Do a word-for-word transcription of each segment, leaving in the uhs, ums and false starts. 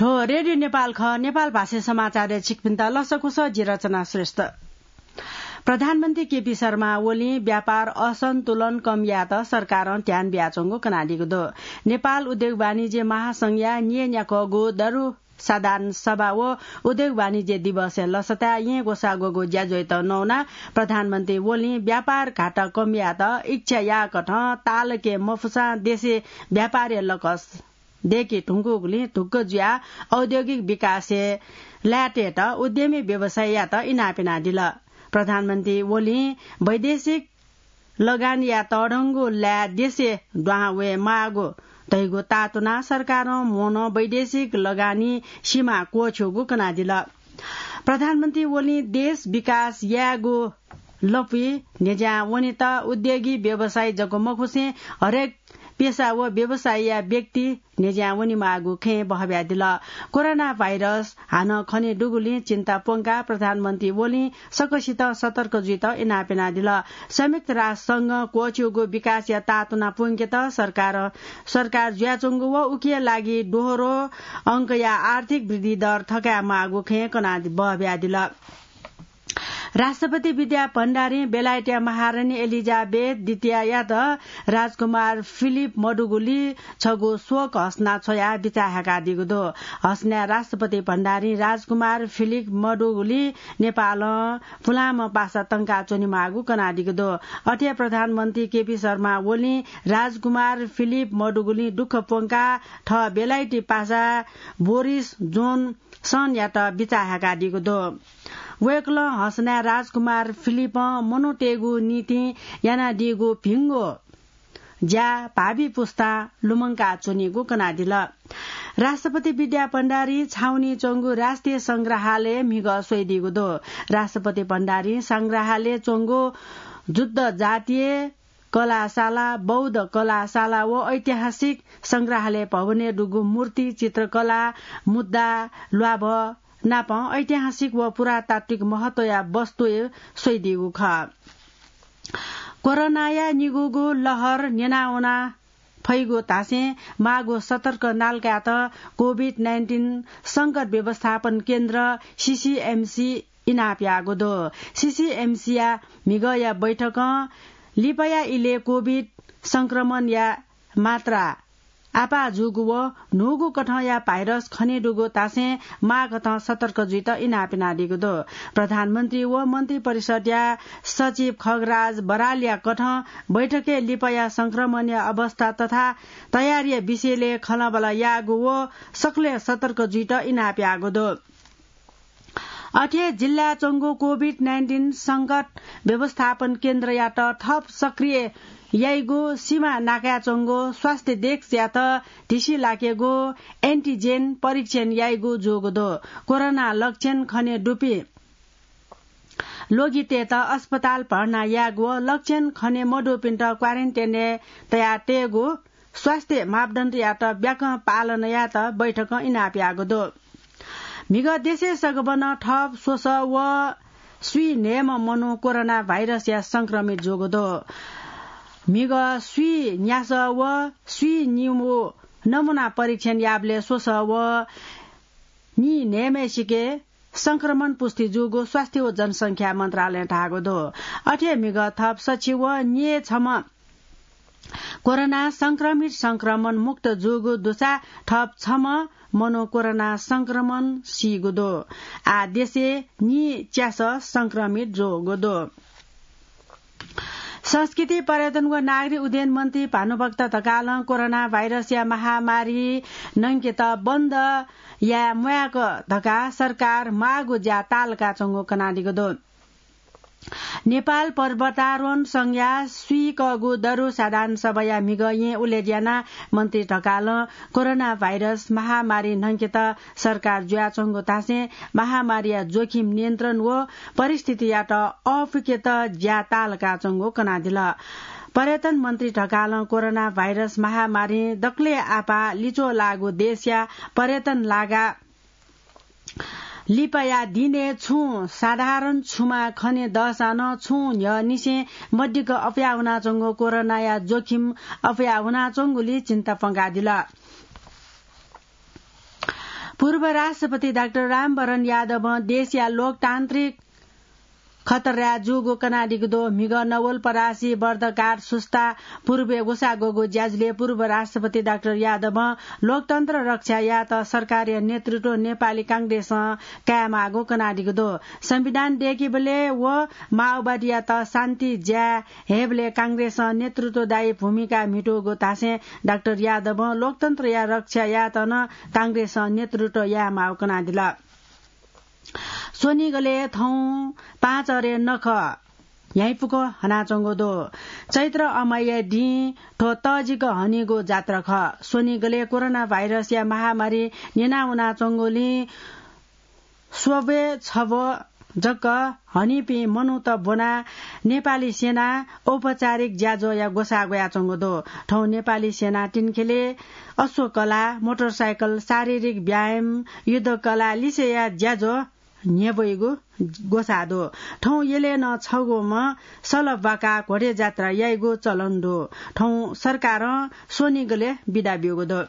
थ्व रेडियो नेपाल खः। नेपाल भाषा समाचारय् छिकपिन्त लसकुस, जि रचना श्रेष्ठ। प्रधानमन्त्री केपी शर्मा ओलीं व्यापार असन्तुलन कम यायेत सरकारं ध्यान बियाच्वंगु कनादीगु दु। नेपाल उद्योग वाणिज्य महासंघया न्येन्याक्वःगु दरु साधारण सभा व उद्योग वाणिज्य दिवसया लसताय् येँ ग्वसाः ग्वःगु ज्याझ्वःयात नवानाः प्रधानमन्त्री ओलीं व्यापार घाटा कम यायेत इच्छा याःकथं तालकय् मफुसां देशय् व्यापारया लकस दय्के धुंकूगुलिं धुक्क जुयाः औद्योगिक विकासय् लायेतयेत उद्यमी व्यवसायीयात इनाप यानादिल। प्रधानमन्त्री ओलीं वैदेशिक लगानीया तःधंगु लाय् देशय् दुहां वये माःगु धइगु ताःतुनाः सरकारं म्होनं वैदेशिक लगानी सीमा क्वःछ्यूगु कनादिल। प्रधानमन्त्री ओलीं देश विकास यायेगु लँपुइ न्ह्यज्यां वनेत उद्योगी व्यवसायी जक मखुसें हरेक पेसा व व्यवसायया व्यक्ति न्ह्यज्यां वनेमाःगु खँय् बहब्यादिल। कोरोना भाइरस हानं खने दुगुलिं चिन्ता प्वंकाः प्रधानमन्त्री ओलीं सकसितं सतर्क जुइत इनाप यानादिल। संयुक्त राष्ट्र संघं क्वःछ्यूगु विकासया ताःतुना प्वंकेत सरकार, सरकार जुयाच्वंगु व उकिया लागि दोहोरो अंकया आर्थिक वृद्धि दर थकायेमाःगु खँय् कनादि बहब्यादिल। राष्ट्रपति विद्या भण्डारीं बेलायतया महारानी एलिजाबेथ द्वितीयायात राजकुमार फिलिप मदुगुलिं छगू शोक हसना छ्वयाः बिचाः हाय्कादीगु दु। हसनाय् राष्ट्रपति भण्डारीं राजकुमार फिलिप मदुगुलिं नेपालं पुलांम्ह पासा तंकाच्वनेमाःगु कनादीगु दु। अथे प्रधानमन्त्री केपी शर्मा ओलीं राजकुमार फिलिप मदुगुलिं दुःख प्वंकाः थः बेलायती पासा बोरिस जोन सनयात बिचाः हाय्कादीगु दु। वय्कलं हसनाय् राजकुमार फिलिपं मनूतय्गु निंतिं यानादीगु भिंगु ज्या भावी पुस्तां लुमंका च्वनीगु कनादिल। राष्ट्रपति विद्या भण्डारी छाउनी च्वंगु राष्ट्रिय संग्रहालय म्हिगः स्वइदीगु दु। राष्ट्रपति भण्डारी संग्रहालय च्वंगु जुद्ध जातीय कलाशाला, बौद्ध कलाशाला व ऐतिहासिक संग्रहालय भवनय् दुगु मूर्ति, चित्रकला, मुद्रा, ल्वाभः नापं ऐतिहासिक व पुरातात्विक महत्वया वस्तु स्वइदीगु खः। कोरोनाया निगूगु लहर न्यनावना फइगु धासें माःगु सतर्क नालकायेत कोभिड नाइन्टिन संकट व्यवस्थापन केन्द्र, सीसीएमसी, इनाप याःगु दु। सीसीएमसीया म्हिगःया बैठकं लिपाया इलय् कोभिड संक्रमणया मात्रा आपाः जूगु व न्हूगु कथंया भाइरस खने दुगु धासें माःकथं सतर्क जुइत इनाप यानादीगु दु। प्रधानमन्त्री व मन्त्री परिषदया सचिव खगराज बरालया कथं बैठकय् लिपाया संक्रमणया अवस्था तथा तयारीया विषयलय् खँल्हाबल्हा याःगु व सकलें सतर्क जुइत इनाप याःगु दु। अथे जिल्लाय् च्वंगु कोभिड नाइन्टिन संकट व्यवस्थापन केन्द्रयात थप सक्रिय याइगु, सीमा नाकाय् च्वंगु स्वास्थ्य डेस्कयात धिसि लाकेगु, एन्टिजेन परीक्षण याइगु जूगु दु। कोरोना लक्षण खने दुपिं लोगितय्त अस्पताल भर्ना यायेगु व लक्षण खने मदुपिन्त क्वारेन्टाइनय् तयातयेगु स्वास्थ्य मापदण्डयात ब्याकं पालन यायेत बैठकं इनाप याःगु दु। म्हिगः देशय् सगबनं थप स्वसः व स्वीन्हय्म्ह मनू कोरोना भाइरसया संक्रमित जूगु दु। म्हिगः स्वीन्यासः व स्वीनिगू नमूना परीक्षण याःबलय् स्वसः व नीन्हय्म्हय्सिके संक्रमण पुष्टि जूगु स्वास्थ्य व जनसंख्या मन्त्रालयं धाःगु दु। अथे म्हिगः थप सछि व न्यय्छम्ह कोरोना संक्रमित संक्रमण मुक्त जूगु दुसा थप छम्ह मनू कोरोना संक्रमण सीगु दु। आः देशय् नीच्यासः संक्रमित जूगु दु। संस्कृति, पर्यटन व नागरिक उड्डयन मन्त्री भानुभक्त ढकालं कोरोना भाइरसया महामारी न्हंकेत बन्द याये म्वायेक धकाः सरकार माःगु ज्या तालकाच्वंगु कनादीगु दु। नेपाल पर्वतारोहण संघया स्वीकःगु दरु साधारण सभाया म्हिगः येँ उलेज्यानाः मन्त्री ढकालं कोरोना भाइरस महामारी न्हंकेत सरकार जुयाच्वंगु धासें महामारीया जोखिम नियन्त्रण व परिस्थितियात अःपुकेत ज्या तालकाच्वंगु कनादिल। पर्यटन मन्त्री ढकालं कोरोना भाइरस महामारीं दकलय् आपाः लिच्वः लाःगु देशया पर्यटन लागा लिपाया दिनय् छुं साधारण छुमा खने दःसां नं छुं न्ह्यःनिसें मदिक्क अप्वया वनाच्वंगु कोरोनाया जोखिम अप्वया वनाच्वंगुलिं चिन्ता प्वंकादिल। पूर्व राष्ट्रपति डाक्टर रामवरण यादवं देशया लोकतान्त्रिक खतरा जूगु कनादीगु दु। म्हिगः नवलपरासी, बर्दकाट, सुस्ता पूर्वय् ग्वसाः ग्वःगु ज्याझ्वलय् पूर्व राष्ट्रपति डाक्टर यादवं लोकतन्त्र रक्षा यायेत सरकारया नेतृत्व नेपाली कांग्रेसं कायेमाःगु कनादीगु दु। संविधान दय्‌कीबलय् व माओवादीयात शान्ति ज्या हयेबलय् कांग्रेसं नेतृत्वदायी भूमिका म्हितूगु धासें डाक्टर यादवं लोकतन्त्रया रक्षा यायेत नं कांग्रेसं नेतृत्व यायेमाःगु कनादिल। स्वनिगलय् थौं पाँच अरे नखः न्ह्याइपुक हनाच्वंगु दु। चैत्र अमावस्या दिं थ्व तःजिक हनीगु जात्रा खः। स्वनिगलय् कोरोना भाइरसया महामारी न्यना वनाच्वंगुलिं स्वब्वय् छब्व जक हनीपिं मनूत ब्वनाः नेपाली सेनां औपचारिक ज्याझ्वःया ग्वसाः ग्वयाच्वंगु दु। थौं नेपाली सेनां तिनखेले अश्वकला, मोटरसाइकल, शारीरिक व्यायाम, युद्धकला लिसेया ज्याझ्वः न्ह्यब्वइगु ग्वसाः दु। थौं यलय् नं छगूम्ह सल ब्वाकाः घोडे जात्रा याइगु चलन दु। थौं सरकारं स्वनिगलय् बिदा ब्यूगु दु।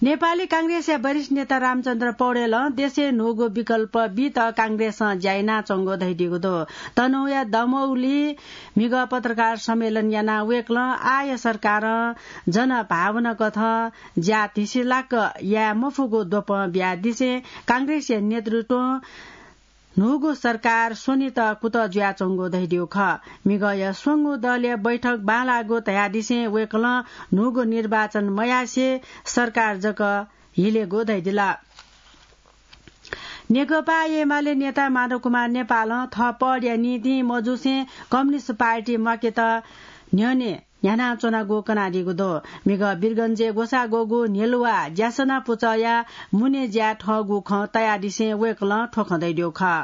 नेपाली कांग्रेसया वरिष्ठ नेता रामचन्द्र पौडेलं देशय् न्हूगु विकल्प बीत कांग्रेसं ज्या यानाच्वंगु धयादीगु दु। तनहुँया दमौली म्हिगः पत्रकार सम्मेलन यानाः वय्‌कलं आःया सरकारं जनभावना कथं ज्या धिसिलाक याये मफुगु द्वपं बियादिसें कांग्रेसया नेतृत्वं न्हूगु सरकार स्वनेत कुतः जुयाच्वंगु धयादीगु खः। म्हिगःया स्वंगू दलया बैठक बांलाःगु धयादिसें वय्‌कलं न्हूगु निर्वाचन मयासें सरकार जक हिलेगु धयादिल। नेकपा एमाले नेता माधव कुमार नेपालं थः पदया निंतिं मजुसें कम्युनिस्ट पार्टी म्वाकेत न्ह्यःने न्ह्यानाच्वनागु कनादीगु दु। म्हिगः वीरगञ्जय् ग्वसाः ग्वःगु न्ह्यलुवा ज्यासना पुचःया मुने ज्या थःगु खँ तयादिसें वय्‌कलं थ्व खँ धयादीगु खः।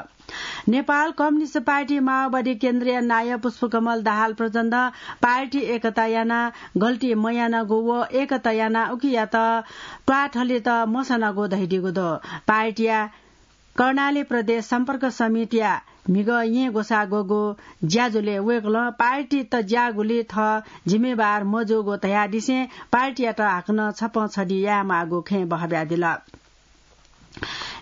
नेपाल कम्युनिस्ट पार्टी माओवादी केन्द्रया नायः पुष्पकमल दाहाल प्रचण्डं पार्टी एकता यानाः गल्ती मयानागु व एकता यानाः उकियात त्वाःथलेत मसनागु धयादीगु दु। पार्टीया कर्णाली प्रदेश सम्पर्क समितिया म्हिगः येँ ग्वसाः ग्वःगु ज्याझ्वलय् वय्‌कलं पार्टी तज्याःगुलिं थः जिम्मेवार मजूगु धयादिसें पार्टीयात हाकनं छप्पँ छधि यायेमाःगु खँय् बहब्यादिल।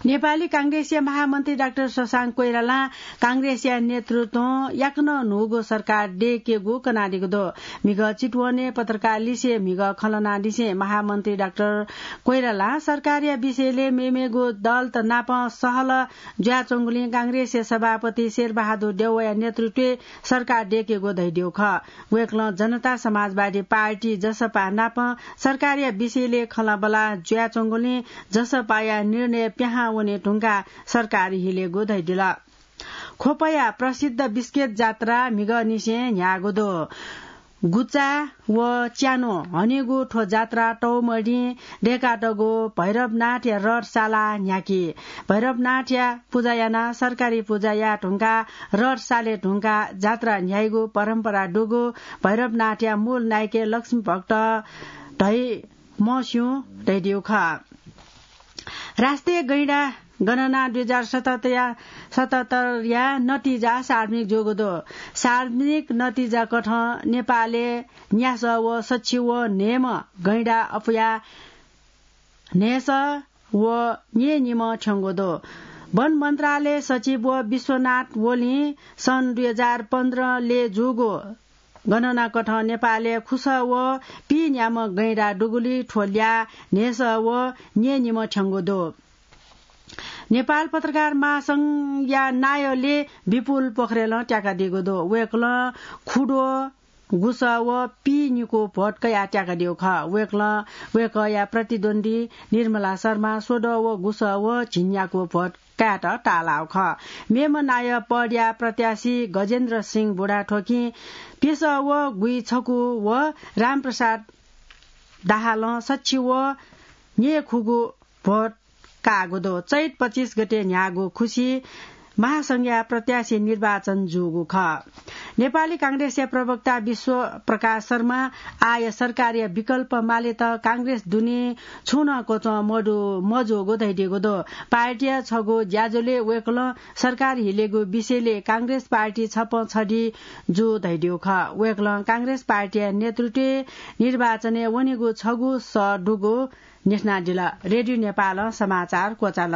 नेपाली कांग्रेसया महामन्त्री डाक्टर शशांक कोइरालां कांग्रेसया नेतृत्वं याकनं न्हूगु सरकार दय्‌केगु कनादीगु दु। म्हिगः चितवनय् पत्रकार लिसें म्हिगः खँ ल्हानादिसें महामन्त्री डाक्टर कोइरालां सरकारया विषयलय् मेमेगु दलत नाप सहल जुयाच्वंगुलिं कांग्रेसया सभापति शेरबहादुर देउवाया नेतृत्वय् सरकार दय्‌केगु धयादीगु खः। वय्‌कलं जनता समाजवादी पार्टी, जसपा, नाप सरकारया विषयलय् खँल्हाबल्हा जुयाच्वंगुलिं जसपाया निर्णय पिहां वने धुंकाः सरकार हिलेगु धयादिल। ख्वपया प्रसिद्ध बिस्केट जात्रा म्हिगःनिसें न्ह्याःगु दु। गुचा व च्यान्हु हनेगु थ्व जात्रा तःम्हदिं दय्‌कातःगु भैरवनाथया रथ सालाः न्ह्याकी। भैरवनाथया पुजा यानाः सरकारी पुजा याये धुंकाः रथ साले धुंकाः जात्रा न्ह्याइगु परम्परा दुगु भैरवनाथया मूल नायकय् लक्ष्मी भक्त धइ मस्यू धयादीगु खः। राष्ट्रिय गैंडा गणना दुई हजार सतहत्तरया, सतहत्तरया नतिजा सार्वजनिक जूगु दु। सार्वजनिक नतिजा कथं नेपालय् न्यासः व सच्छि व न्हय्म्ह गैंडा अपुया न्हय्सः व न्यय्निम्ह थ्यंगु दु। वन मन्त्रालय सचिव व विश्वनाथ ओलीं सन् दुई हजार पन्ध्रलय् जूगु गणना कथं नेपालय् खुसः व पीन्याम्ह गैंडा दुगुलिं थ्व ल्याः न्हय्सः व न्यय्निम्ह थ्यंगु दु। नेपाल पत्रकार महासंघया नायःले विपुल पोखरेलं त्याकादीगु दु। वय्‌कलं खुद्वः, गुसः व पीनिकू भोट कयाः त्याकादीगु खः। वय्‌कलं वय्‌कःया प्रतिद्वन्द्वी निर्मला शर्मा स्वद्वः व गुसः व झिंन्याकू भोट कायेत ताःलाःगु खः। मेम्ह नायः पदया प्रत्याशी गजेन्द्र सिंह बुढाथोकीं प्यसः व गुइछकू व रामप्रसाद दाहालं सच्छि व न्यय्खुगू भोट काःगु दु। चैत पच्चिस गते न्ह्याःगु खुसी महासंघया प्रत्याशी निर्वाचन जूगु खः। नेपाली कांग्रेसया प्रवक्ता विश्व प्रकाश शर्मा आःया सरकारया विकल्प मालेत कांग्रेस दुने छुं नं क्वचं मजूगु धयादीगु दु। पार्टीया छगू ज्याझ्वलय् वय्कलं सरकार हिलेगु विषयलय् कांग्रेस पार्टी छप्पँ छधी जू धयादीगु खः। वय्कलं कांग्रेस पार्टीया नेतृत्वय् निर्वाचनय् वनेगु छगू सः दुगु न्ह्यथनादिल। रेडियो नेपालं समाचार क्वचाल।